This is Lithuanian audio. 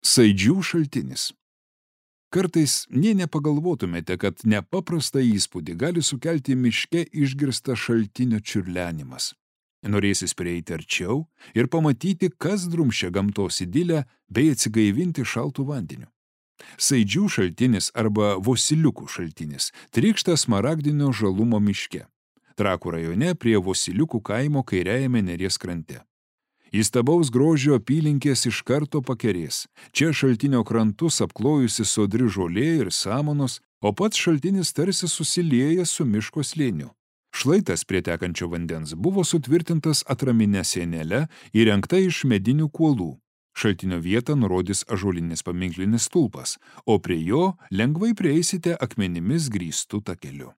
Saidžių šaltinis. Kartais nė nepagalvotumėte, kad nepaprastą įspūdį gali sukelti miške išgirstas šaltinio čiurlenimas. Norėsis prieiti arčiau ir pamatyti, kas drumsčia gamtos idilę bei atsigaivinti šaltų vandeniu. Saidžių šaltinis arba Vosiliukų šaltinis trykšta smaragdinio žalumo miške. Trakų rajone prie Vosiliukų kaimo kairiajame Neries krante. Įstabaus grožio apylinkės iš karto pakerės. Čia šaltinio krantus apklojusi sodri žolė ir samanos, o pats šaltinis tarsi susilieja su miško slėniu. Šlaitas prie tekančio vandens buvo sutvirtintas atraminę sienelę įrengta iš medinių kuolų. Šaltinio vietą nurodys ąžuolinis paminklinis stulpas, o prie jo lengvai prieisite akmenimis grįstų takeliu.